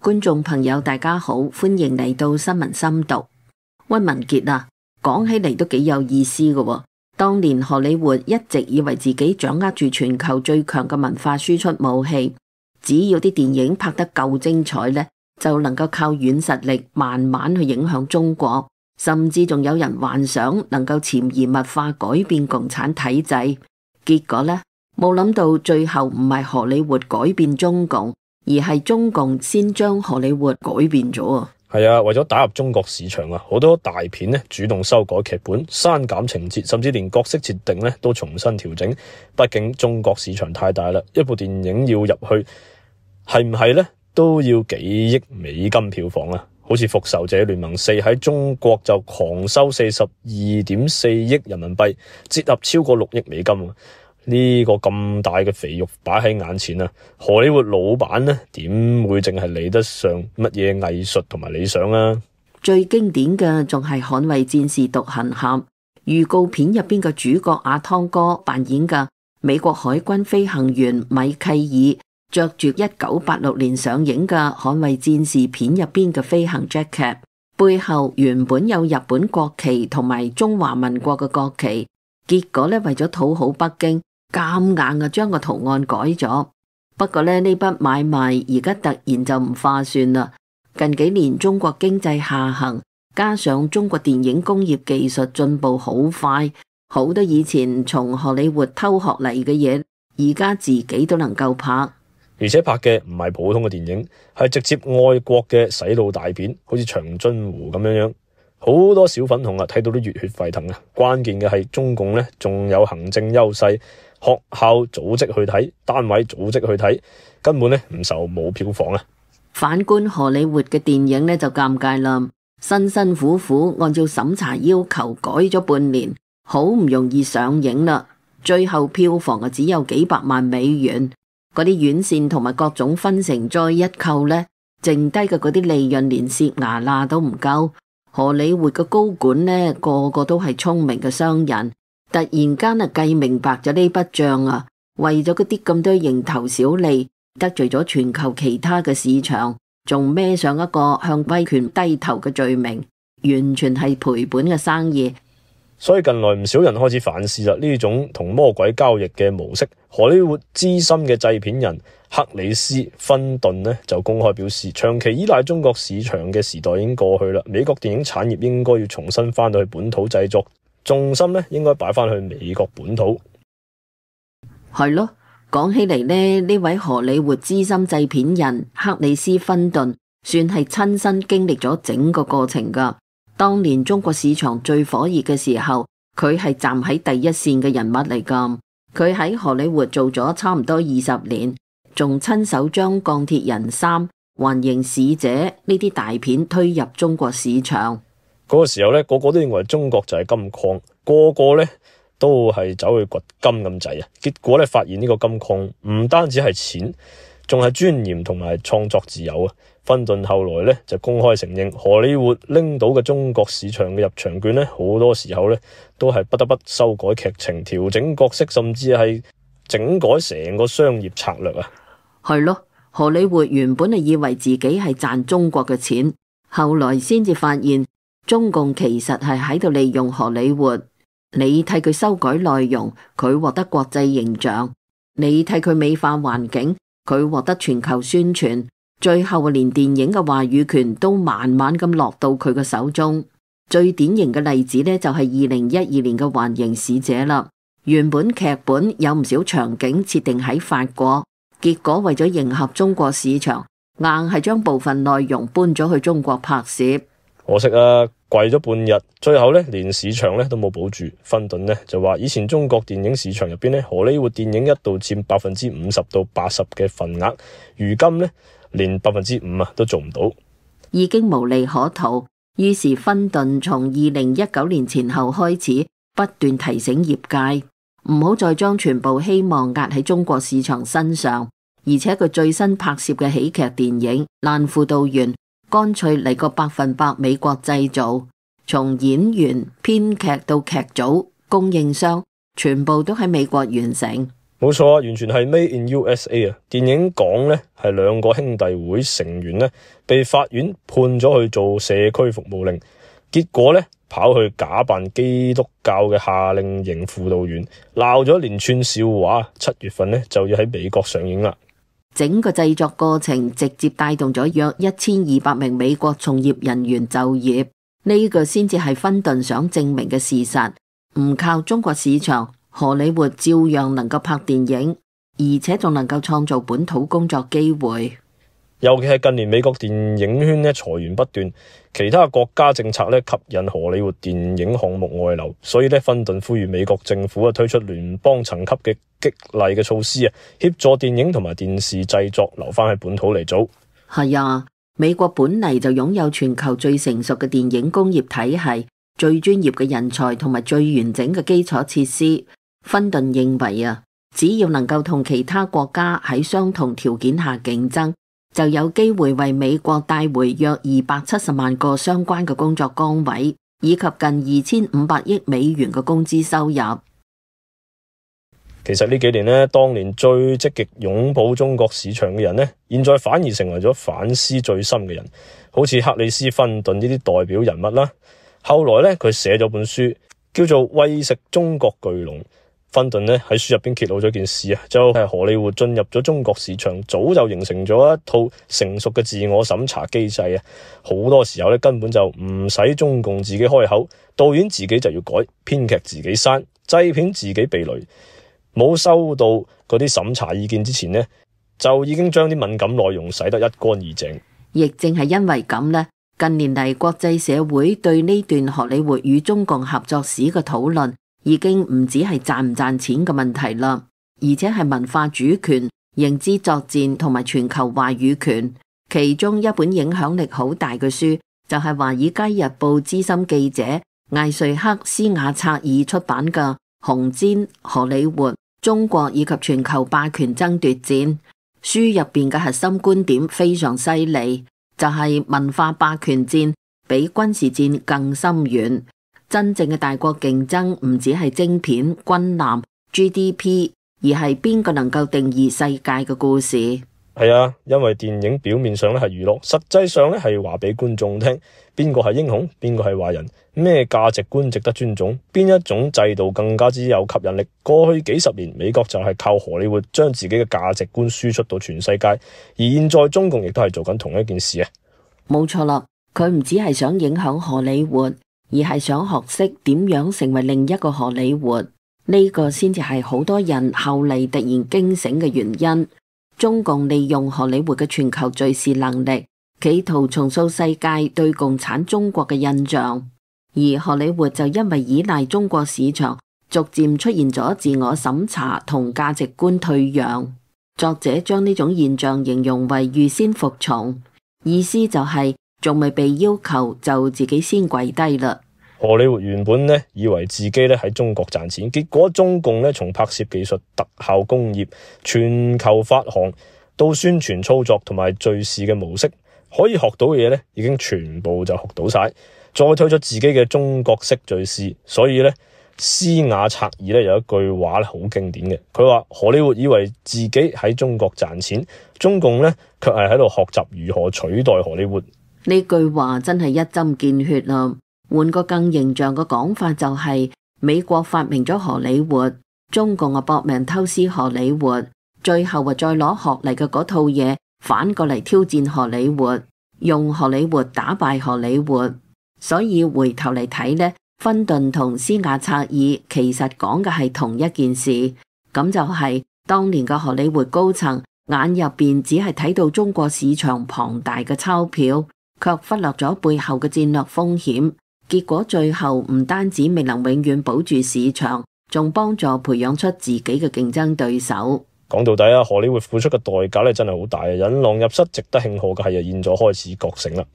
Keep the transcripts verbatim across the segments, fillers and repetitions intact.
觀眾朋友大家好，歡迎嚟到新聞深讀。溫文傑啊，講起嚟都幾有意思嘅喎。當年荷里活一直以為自己掌握住全球最強嘅文化輸出武器，只要啲電影拍得夠精彩呢，就能夠靠軟實力慢慢去影響中國，甚至仲有人幻想能夠潛移默化改變共產體制。結果呢，冇諗到最後唔係荷里活改變中共，而係中共先將荷里活改變咗啊！係啊，為咗打入中國市場啊，好多大片呢主動修改劇本、刪減情節，甚至連角色設定呢都重新調整。畢竟中國市場太大啦，一部電影要入去係唔係呢都要幾億美金票房啊！好似《復仇者聯盟四》喺中國就狂收四十二點四億人民幣，折合超過六億美金啊！呢個咁大嘅肥肉擺喺眼前啊，荷里活老闆呢點會淨係理得上乜嘢藝術同埋理想啊？最經典嘅仲係《捍衛戰士獨行俠》預告片入邊嘅主角阿湯哥扮演嘅美國海軍飛行員米契爾，着住一九八六年上映嘅《捍衛戰士》片入邊嘅飛行 jacket， 背後原本有日本國旗同埋中華民國嘅國旗，結果呢，為咗討好北京，咁硬啊，將個圖案改咗。不過呢，呢筆買賣而家突然就唔划算啦。近幾年中國經濟下行，加上中國電影工業技術進步好快，好多以前從荷里活偷學嚟嘅嘢，而家自己都能夠拍。而且拍嘅唔係普通嘅電影，係直接愛國嘅洗腦大片，好似長津湖咁樣樣。好多小粉紅啊，睇到都熱血沸騰啊！關鍵嘅係中共呢，仲有行政優勢。學校組織去睇，單位組織去睇，根本呢唔受冇票房啊！反觀荷里活嘅電影呢就尷尬啦，辛辛苦苦按照審查要求改咗半年，好唔容易上映啦，最後票房啊只有幾百萬美元，嗰啲院線同埋各種分成再一扣呢，剩低嘅嗰啲利潤連蝕牙罅都唔夠。荷里活嘅高管呢個個都係聰明嘅商人。突然間啊，計明白咗呢筆賬啊，為咗嗰啲咁多蠅頭小利，得罪咗全球其他嘅市場，仲孭上一個向威權低頭嘅罪名，完全係賠本嘅生意。所以近來唔少人開始反思啦，呢種同魔鬼交易嘅模式。荷里活資深嘅製片人克里斯芬頓呢就公開表示，長期依賴中國市場嘅時代已經過去啦，美國電影產業應該要重新翻到去本土製作。重心咧應該擺翻去美國本土。係咯，講起嚟呢，呢位荷里活資深製片人克里斯芬頓算係親身經歷咗整個過程噶。當年中國市場最火熱嘅時候，佢係站喺第一線嘅人物嚟噶。佢喺荷里活做咗差唔多二十年，仲親手將鋼鐵人三、環形使者呢啲大片推入中國市場。嗰個時候咧，個個都認為中國就係金礦，個個咧都係走去掘金咁滯啊！結果咧，發現呢個金礦唔單止係錢，仲係尊嚴同埋創作自由啊！芬頓後來咧就公開承認，荷里活拎到嘅中國市場嘅入場券咧，好多時候咧都係不得不修改劇情、調整角色，甚至係整改成個商業策略啊！係咯，荷里活原本係以為自己係賺中國嘅錢，後來先至發現。中共其實係喺度利用荷里活，你替佢修改內容，佢獲得國際形象；你替佢美化環境，佢獲得全球宣傳。最後連電影嘅話語權都慢慢咁落到佢嘅手中。最典型嘅例子呢，就係二零一二年嘅《環形使者》啦。原本劇本有唔少場景設定喺法國，結果為咗迎合中國市場，硬係將部分內容搬咗去中國拍攝。可惜啊，貴咗半日，最後咧連市場咧都冇保住。芬頓呢就話，以前中國電影市場入邊咧，荷里活電影一度佔百分之五十到八十嘅份額，如今咧連百分之五啊都做唔到，已經無利可圖。於是芬頓從二零一九年前後開始，不斷提醒業界唔好再將全部希望壓喺中國市場身上，而且佢最新拍攝嘅喜劇電影《爛輔導員》。乾脆嚟個百分百美國製造，從演員、編劇到劇組、供應商，全部都喺美國完成。冇錯啊，完全係 Made in U S A 啊！電影講咧係兩個兄弟會成員咧被法院判咗去做社區服務令，結果咧跑去假扮基督教嘅夏令營輔導員，鬧咗一連串笑話。七月份咧就要喺美國上映啦。整個製作過程直接帶動咗約一千二百名美國從業人員就業，呢個先至係芬頓想證明嘅事實。唔靠中國市場，荷里活照樣能夠拍電影，而且仲能夠創造本土工作機會。尤其係近年美國電影圈咧裁員不斷，其他國家政策咧吸引荷里活電影項目外流，所以咧芬頓呼籲美國政府啊推出聯邦層級嘅激勵嘅措施啊，協助電影同埋電視製作留翻喺本土嚟做。係啊，美國本嚟就擁有全球最成熟嘅電影工業體系，最專業嘅人才同埋最完整嘅基礎設施。芬頓認為啊，只要能夠同其他國家喺相同條件下競爭，就有機會為美國帶回約二百七十萬個相關嘅工作崗位，以及近二千五百億美元嘅工資收入。其實呢幾年呢，當年最積極擁抱中國市場嘅人呢，現在反而成為咗反思最深嘅人，好似克里斯芬頓呢啲代表人物啦。後來呢，佢寫咗本書叫做《餵食中國巨龍》。芬頓呢喺書入邊揭露咗件事啊，就係荷里活進入咗中國市場，早就形成咗一套成熟嘅自我審查機制啊。好多時候咧根本就唔使中共自己開口，導演自己就要改，編劇自己刪，製片自己避雷。冇收到嗰啲審查意見之前呢，就已經將啲敏感內容洗得一乾二淨。亦正係因為咁呢，近年嚟國際社會對呢段荷里活與中共合作史嘅討論，已經唔止係賺唔賺錢嘅問題啦，而且係文化主權、認知作戰同埋全球話語權。其中一本影響力好大嘅書，就係華爾街日報資深記者艾瑞克斯瓦策爾出版嘅《紅氈、荷里活、中國以及全球霸權爭奪戰》。書入邊嘅核心觀點非常犀利，就係文化霸權戰比軍事戰更深遠。真正嘅大國競爭唔只係晶片、軍艦、G D P， 而係邊個能夠定義世界嘅故事。係啊，因為電影表面上咧係娛樂，實際上咧係話俾觀眾聽邊個係英雄，邊個係壞人，咩價值觀值得尊重，邊一種制度更加之有吸引力。過去幾十年，美國就係靠荷里活將自己嘅價值觀輸出到全世界，而現在中共亦都係做緊同一件事啊。冇錯啦，佢唔只係想影響荷里活，而係想學識點樣成為另一個荷里活，呢個先至係好多人後嚟突然驚醒嘅原因。中共利用荷里活嘅全球敘事能力，企圖重塑世界對共產中國嘅印象，而荷里活就因為依賴中國市場，逐漸出現咗自我審查同價值觀退讓。作者將呢種現象形容為預先服從，意思就係仲未被要求就自己先跪低啦。荷里活原本呢以為自己咧喺中國賺錢，結果中共咧從拍攝技術、特效工業、全球發行到宣傳操作同埋敘事嘅模式，可以學到嘅嘢咧已經全部就學到晒，再推出自己嘅中國式敘事。所以咧，斯瓦策爾咧有一句話咧好經典嘅，佢話荷里活以為自己喺中國賺錢，中共咧卻係喺度學習如何取代荷里活。呢句話真係一針見血啦！換個更形象嘅講法就係、是、美國發明咗荷里活，中共啊搏命偷師荷里活，最後啊再攞學嚟嘅嗰套嘢反過嚟挑戰荷里活，用荷里活打敗荷里活。所以回頭嚟睇呢，芬頓同斯瓦策爾其實講嘅係同一件事，咁就係、是、當年嘅荷里活高層眼入邊只係睇到中國市場龐大嘅鈔票，卻忽略咗背後嘅戰略風險。結果最後唔單止未能永遠保住市場，仲幫助培養出自己嘅競爭對手。講到底啊，荷里活付出嘅代價咧真係好大啊！引狼入室，值得慶賀嘅係啊，現在開始覺醒啦。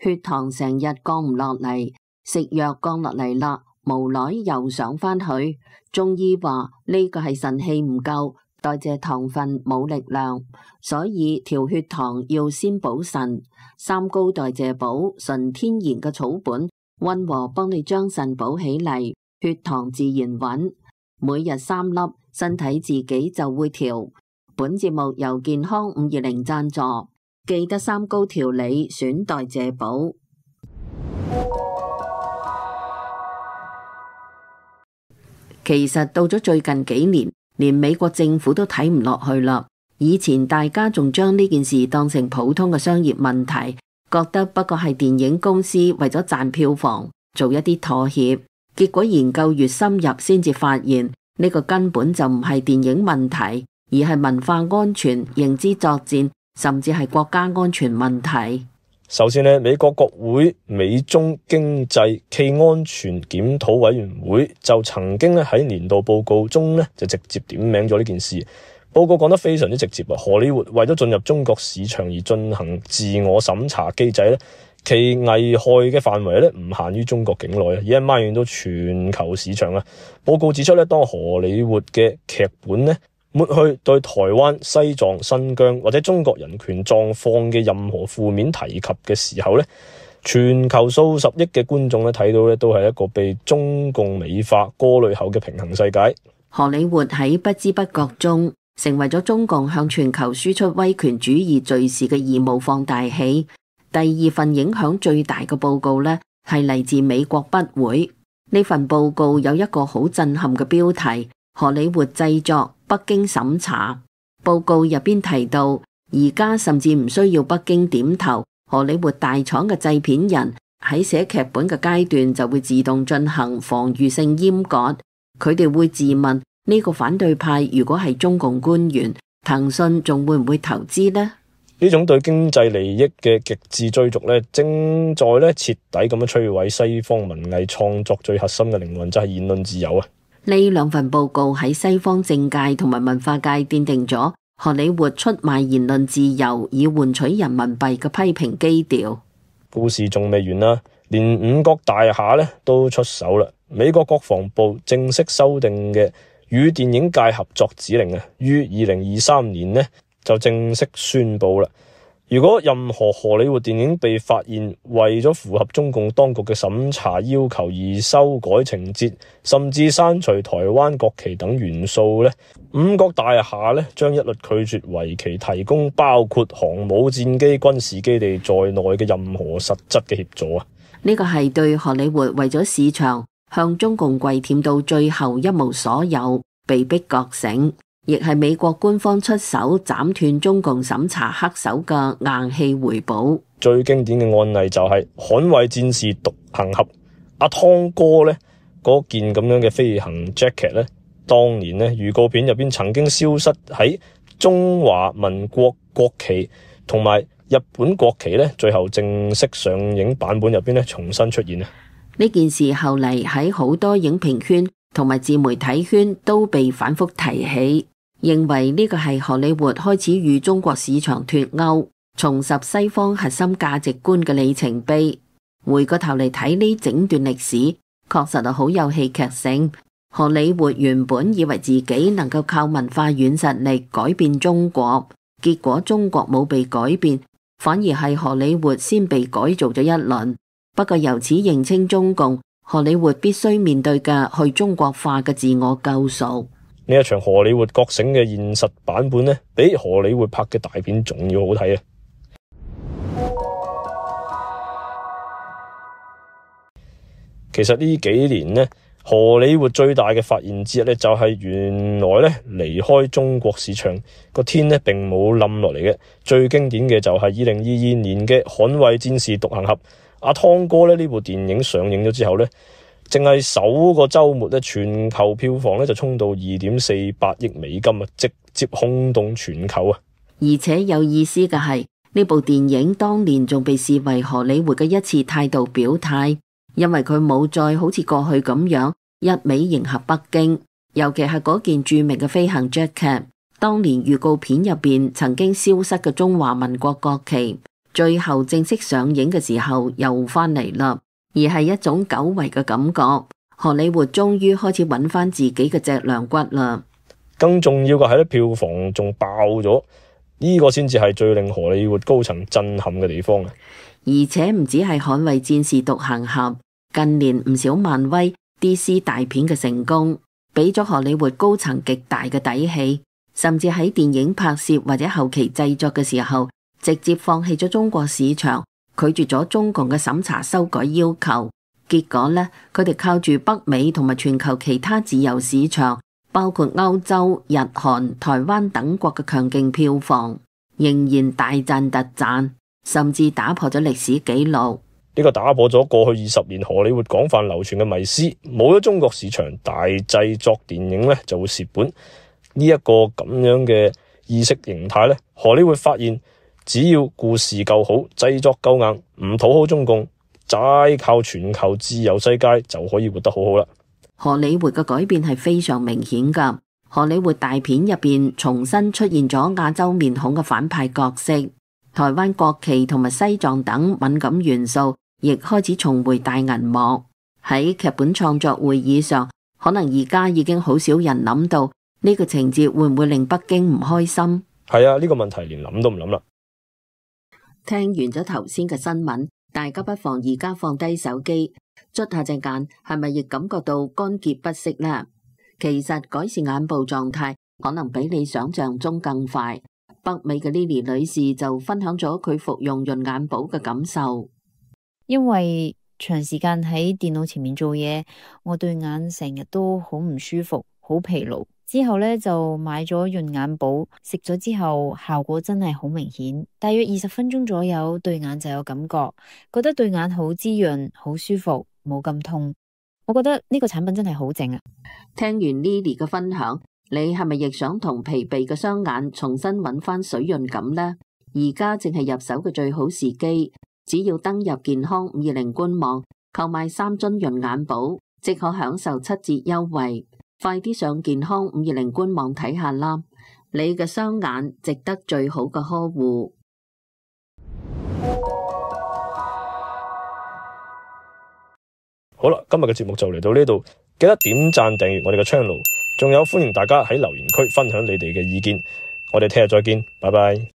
血糖成日降唔落嚟，食藥降落嚟啦，無奈又上返去。中醫話呢個係腎氣唔夠，代謝糖分冇力量，所以調血糖要先補腎。三高代謝補，純天然嘅草本，溫和幫你將腎補起嚟，血糖自然穩。每日三粒，身體自己就會調。本節目由健康五二零贊助，記得三高調理，選代謝寶。其實到咗最近幾年，連美國政府都睇唔落去啦。以前大家仲將呢件事當成普通嘅商業問題，覺得不過係電影公司為咗賺票房做一啲妥協。結果研究越深入，先至發現呢個根本就唔係電影問題，而係文化安全、認知作戰，甚至係國家安全問題。首先呢，美國國會美中經濟暨安全檢討委員會就曾經咧喺年度報告中咧就直接點名咗呢件事。報告講得非常之直接啊！荷里活為咗進入中國市場而進行自我審查機制咧，其危害嘅範圍咧唔限於中國境內啊，而係蔓延到全球市場啊。報告指出咧，當荷里活嘅劇本咧抹去對台灣、西藏、新疆或者中國人權狀況嘅任何負面提及嘅時候咧，全球數十億嘅觀眾咧睇到咧都係一個被中共美化過濾後嘅平衡世界。荷里活喺不知不覺中成為咗中共向全球輸出威權主義敘事嘅義務放大器。第二份影響最大嘅報告呢，係嚟自美國筆會。呢份報告有一個好震撼嘅標題：荷里活製作，北京審查。報告入邊提到，而家甚至唔需要北京點頭，荷里活大廠嘅製片人喺寫劇本嘅階段就會自動進行防禦性閹割。佢哋會自問，呢個反對派如果係中共官員，騰訊仲會唔會投資呢？呢種對經濟利益嘅極致追逐咧，正在咧徹底咁樣摧毀西方文藝創作最核心嘅靈魂，就係言論自由啊！呢兩份報告喺西方政界同埋文化界奠定咗荷里活出賣言論自由以換取人民幣嘅批評基調。故事仲未完啦，連五角大廈咧都出手啦！美國國防部正式修訂嘅與電影界合作指令啊，於二零二三年呢就正式宣布啦。如果任何荷里活電影被發現為咗符合中共當局嘅審查要求而修改情節，甚至刪除台灣國旗等元素呢，五角大廈呢將一律拒絕為其提供包括航母戰機、軍事基地在內嘅任何實質嘅協助啊！呢個係對荷里活為咗市場向中共跪舔到最後一無所有，被迫覺醒，亦係美國官方出手斬斷中共審查黑手嘅硬氣回報。最經典嘅案例就係捍衛戰士獨行俠，阿湯哥呢嗰件咁樣嘅飛行 jacket 呢，當年呢預告片入邊曾經消失喺中華民國國旗同埋日本國旗呢，最後正式上映版本入邊呢重新出現啊！呢件事後嚟喺好多影評圈同埋自媒體圈都被反覆提起，認為呢個係荷里活開始與中國市場脫鈎，重拾西方核心價值觀嘅里程碑。回過頭嚟睇呢整段歷史，確實係好有戲劇性。荷里活原本以為自己能夠靠文化軟實力改變中國，結果中國冇被改變，反而係荷里活先被改造咗一輪。不過由此認清中共，荷里活必須面對嘅去中國化嘅自我救贖。呢一場荷里活覺醒嘅現實版本呢，比荷里活拍嘅大片仲要好睇啊！其實呢幾年呢，荷里活最大嘅發現之一呢，就係原來呢離開中國市場個天呢並冇冧落嚟嘅。最經典嘅就係二零二二年嘅《捍衛戰士獨行俠》。阿湯哥咧呢部電影上映咗之後呢，淨係首個周末咧，全球票房咧就衝到二點四八億美金啊，直接轟動全球啊！而且有意思嘅係，呢部電影當年仲被視為荷里活嘅一次態度表態，因為佢冇再好似過去咁樣一味迎合北京，尤其係嗰件著名嘅飛行 jacket， 當年預告片入邊曾經消失嘅中華民國國旗，最後正式上映嘅時候又翻嚟啦，而係一種久違嘅感覺。荷里活終於開始揾翻自己嘅脊梁骨啦。更重要嘅係咧，票房仲爆咗，呢個先至係最令荷里活高層震撼嘅地方啊！而且唔止係捍衛戰士獨行俠，近年唔少漫威、D C 大片嘅成功，俾咗荷里活高層極大嘅底氣，甚至喺電影拍攝或者後期製作嘅時候，直接放棄咗中國市場，拒絕咗中共嘅審查修改要求。結果呢，佢哋靠住北美同埋全球其他自由市場，包括歐洲、日韓、台灣等國嘅強勁票房，仍然大賺特賺，甚至打破咗歷史紀錄。呢個打破咗過去二十年荷里活廣泛流傳嘅迷思，冇咗中國市場，大製作電影咧就會蝕本。呢一個咁樣嘅意識形態咧，荷里活發現只要故事夠好，製作夠硬，唔討好中共，齋靠全球自由世界就可以活得好好啦。荷里活嘅改變係非常明顯噶，荷里活大片入邊重新出現咗亞洲面孔嘅反派角色，台灣國旗同埋西藏等敏感元素亦開始重回大銀幕。喺劇本創作會議上，可能而家已經好少人諗到呢個情節會唔會令北京唔開心。係啊，呢個問題連諗都唔諗啦。聽完咗頭先嘅新聞，大家不妨而家放低手機，捽下隻眼，係咪亦感覺到乾澀不適呢？其實改善眼部狀態可能比你想象中更快。北美嘅 Lily 女士就分享咗佢服用潤眼寶嘅感受。因為長時間喺電腦前面做嘢，我對眼成日都好唔舒服，好疲勞。之後呢，就買咗潤眼寶，食咗之後效果真係好明顯，大約二十分鐘左右對眼就有感覺，覺得對眼好滋潤，好舒服，冇咁痛。我覺得呢個產品真係好正啊！聽完 Lily 嘅分享，你係咪亦想同疲憊嘅雙眼重新揾翻水潤感呢？而家正係入手嘅最好時機。只要登入健康五二零官網購買三樽潤眼寶，即可享受七折優惠。快啲上健康五二零官網睇下啦！你嘅雙眼值得最好嘅呵護。好啦，今日嘅節目就嚟到呢度，記得點讚訂閱我哋嘅 channel，仲有歡迎大家喺留言區分享你哋嘅意見。我哋聽日再見，拜拜。